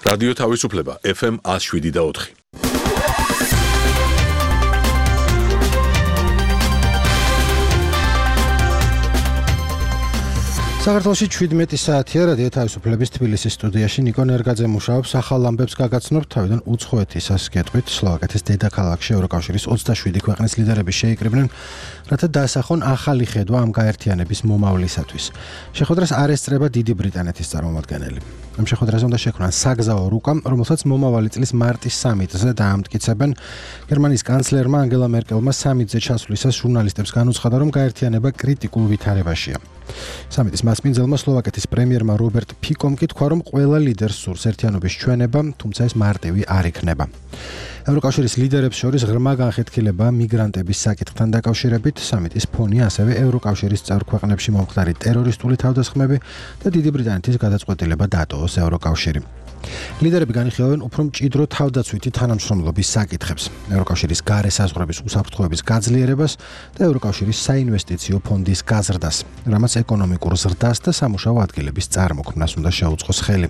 რადიო თავისუფლება FM 107.4. საქართველოში 17 საათია რადიო თავისუფლების თბილისის სტუდიაში ნიკო ნერგაძე მუშაობს ახალ ამბებს გაგაცნობთ თავიდან უცხოეთისას გეტყვით სლოვაკეთის დედაქალაქში ევროკავშირის 27 ქვეყნის ლიდერები შეიკრიბნენ რათა დაასახონ ახალი ხედვა ამ გაერთიანების მომავლისათვის. შეხვედრას არ ესწრება დიდი ბრიტანეთის წარმომადგენელი. ამ შეხვედრაზე უნდა შექმნან საგზაო რუკა, რომელსაც მომავალი წლის მარტის სამიტზე დაამტკიცებენ. გერმანიის კანცლერმა ანგელა მერკელმა სამიტზე ჩასვლისას ჟურნალისტებს განუცხადა, რომ გაერთიანება კრიტიკულ ვითარებაშია. სამიტის მასპინძელმა სლოვაკეთის პრემიერმა რობერტ ფიკომ კი თქვა, რომ ყველა ლიდერს სურს ერთიანობის ჩვენება, თუმცა ეს მარტივი არ იქნება. ევროკავშირის ლიდერებს შორის ღრმა განხეთქილება მიგრანტების საკითხთან დაკავშირებით, სამიტის ფონი ასევე ევროკავშირის წევრ ქვეყნებში მომხდარი ტერორისტული თავდასხმები და დიდი ბრიტანეთის გადაწყვეტილება დატოვოს ევროკავშირი. ლიდერები განიხილავენ უფრო მჭიდრო თავდაცვითი თანამშრომლობის საკითხებს, ევროკავშირის გარე საზღვრების უსაფრთხოების გაძლიერებას და ევროკავშირის საინვესტიციო ფონდის გაზრდას, რამაც ეკონომიკურ ზრდას და სამუშაო ადგილების წარმოქმნას უნდა შეუწყოს ხელი.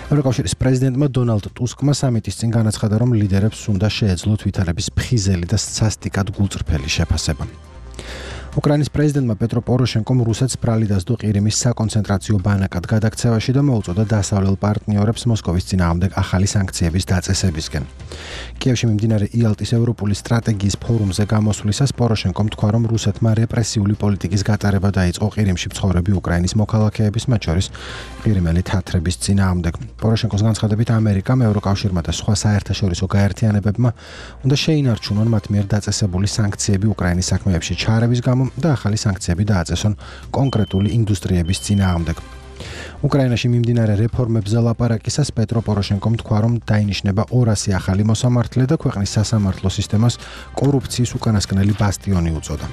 ევროკავშირის პრეზიდენტმა დონალდ ტუსკმა სამიტის წინ განაცხადა, რომ ლიდერებს უნდა შეეძლოთ ვითარების ფხიზელი და სასტიკად გულწრფელი შეფასება. უკრაინის პრეზიდენტმა პეტრო პოროშენკომ რუსეთს ბრალი დასდო ყირიმის საკონცენტრაციო ბანაკად გადაქცევაში და მოუწოდა დასავლელ პარტნიორებს მოსკოვის წინააღმდეგ ახალი სანქციების დაწესებისკენ. კიევში მიმდინარე იალტის ევროპული სტრატეგიის ფორუმზე გამოსვლისას პოროშენკომ თქვა, რომ რუსეთმა რეპრესიული პოლიტიკის გატარება დაიწყო ყირიმში მცხოვრები უკრაინის მოქალაქეების, მათ შორის ყირიმელი თათრების წინააღმდეგ. პოროშენკოს განცხადებით, ამერიკამ, ევროკავშირმა და სხვა საერთაშორისო გაერთიანებებმა უნდა შეინარჩუნონ მათ მიერ დაწესებული სანქციები უკრაინის საქმეებში ჩარევის გამო და ახალი სანქციები დააწესონ კონკრეტული ინდუსტრიების წინააღმდეგ. უკრაინაში მიმდინარე რეფორმებზე ლაპარაკისას პეტრო პოროშენკომ თქვა, რომ დაინიშნება 200 ახალი მოსამართლე და ქვეყნის სასამართლო სისტემას კორუფციის უკანასკნელი ბასტიონი უწოდა.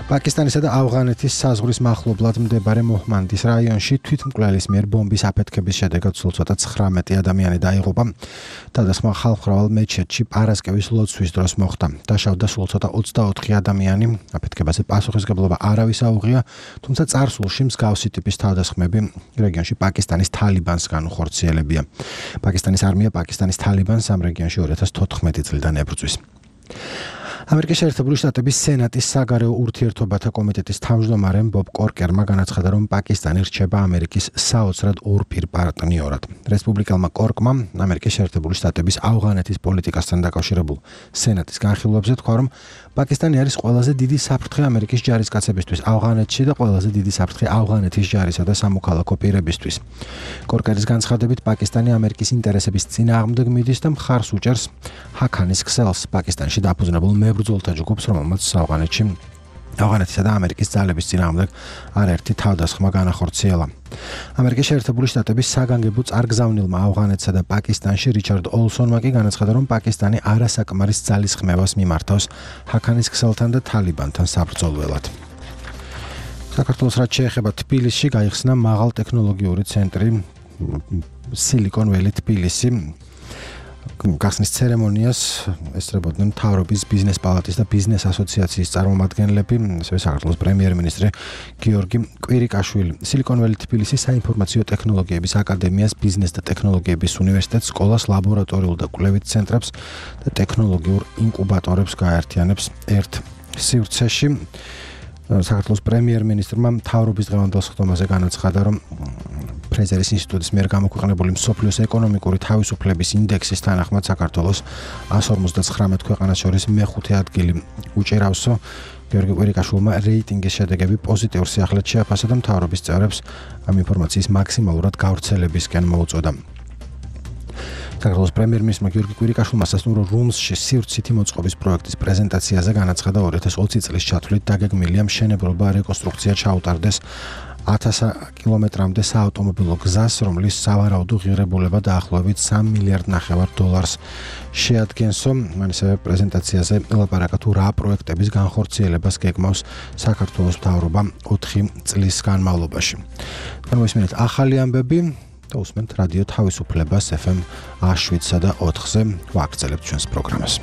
პაკისტანისა და ავღანეთის საზღვრის მახლობლად მდებარე მოჰმანდის რაიონში თვითმკვლელის მიერ ბომბის აფეთქების შედეგად სულ ცოტა 19 ადამიანი დაიღუპა. თავდასხმა ხალხმრავალ მეჩეთში პარასკევის ლოცვის დროს მოხდა. დაშავდა სულ ცოტა 24 ადამიანი. აფეთქებაზე პასუხისმგებლობა არავის აუღია, თუმცა წარსულში მსგავსი ტიპის თავდასხმები რეგიონში პაკისტანის თალიბანს განუხორციელებია. პაკისტანის არმია პაკისტანის თალიბანს ამ რეგიონში 2014 წლიდან ებრძვის. ამერიკის შეერთებული შტატების სენატის საგარეო ურთიერთობათა კომიტეტის თავმჯდომარემ ბობ კორკერმა განაცხადა, რომ პაკისტანი რჩება ამერიკის საოცრად ორპირ პარტნიორად. რესპუბლიკელმა კორკმა ამერიკის შეერთებული შტატების ავღანეთის პოლიტიკასთან დაკავშირებულ სენატის განხილვებზე თქვა, რომ პაკისტანი არის ყველაზე დიდი საფრთხე ამერიკის ჯარისკაცებისთვის ავღანეთში და ყველაზე დიდი საფრთხე ავღანეთის ჯარისა და სამოქალაქო პირებისთვის. კორკერის განცხადებით, პაკისტანი ამერიკის ინტერესების წინააღმდეგ მიდის და მხარს უჭერს ჰაქანის ქსელს, პაკისტანში დაფუძნებულ მებრძოლთა ჯგუფს, რომელმაც ავღანეთისა და ამერიკის ძალების წინააღმდეგ არაერთი თავდასხმა განახორციელა. ამერიკის შეერთებული შტატების საგანგებო წარგზავნილმა ავღანეთსა და პაკისტანში რიჩარდ ოლსონმა კი განაცხადა, რომ პაკისტანი არასაკმარის ძალისხმევას მიმართავს ჰაქანის ქსელთან და თალიბანთან საბრძოლველად. საქართველოს რაც შეეხება თბილისში გაიხსნა მაღალტექნოლოგიური ცენტრი Silicon Valley თბილისი. გახსნის ცერემონიას ესწრებოდნენ მთავრობის ბიზნეს პალატის და ბიზნეს ასოციაციის წარმომადგენლები, ასევე საქართველოს პრემიერ-მინისტრი გიორგი კვირიკაშვილი. Silicon Valley თბილისის საინფორმაციო ტექნოლოგიების აკადემიას, ბიზნეს და ტექნოლოგიების უნივერსიტეტს, სკოლას, ლაბორატორიულ და კვლევით ცენტრებს და ტექნოლოგიურ ინკუბატორებს გაერთიანებს ერთ სივრცეში. საქართველოს პრემიერ-მინისტრმა მთავრობის დღევანდელ სხდომაზე განაცხადა, რომ ფრეზერის ინსტიტუტის მიერ გამოქვეყნებული მსოფლიოს ეკონომიკური თავისუფლების ინდექსის თანახმად საქართველოს 159 ქვეყანას შორის მეხუთე ადგილი უჭირავსო. გიორგი კვირიკაშვილმა რეიტინგის შედეგები პოზიტიურ სიახლედ შეაფასა და მთავრობის წევრებს ამ ინფორმაციის მაქსიმალურად გავრცელებისკენ მოუწოდა. საქართველოს პრემიერ-მინისტრმა გიორგი კვირიკაშვილმა სასტუმრო რუმსში სივრცითი მოწყობის პროექტის პრეზენტაციაზე განაცხადა, 2020 წლის ჩათვლით დაგეგმილია მშენებლობა რეკონსტრუქცია ჩაუტარდეს 1000 კილომეტრამდე საავტომობილო გზას, რომლის სავარაუდო ღირებულება დაახლოებით $3.5 მილიარდ შეადგენსო. მან ასევე პრეზენტაციაზე ელაპარაკა თუ რა პროექტების განხორციელებას გეგმავს საქართველოს მთავრობა 4 წლის განმავლობაში. მოისმინეთ ახალი ამბები და უსმენთ რადიო თავისუფლებას FM 107 და 4-ზე ვაგრძელებთ ჩვენს პროგრამას.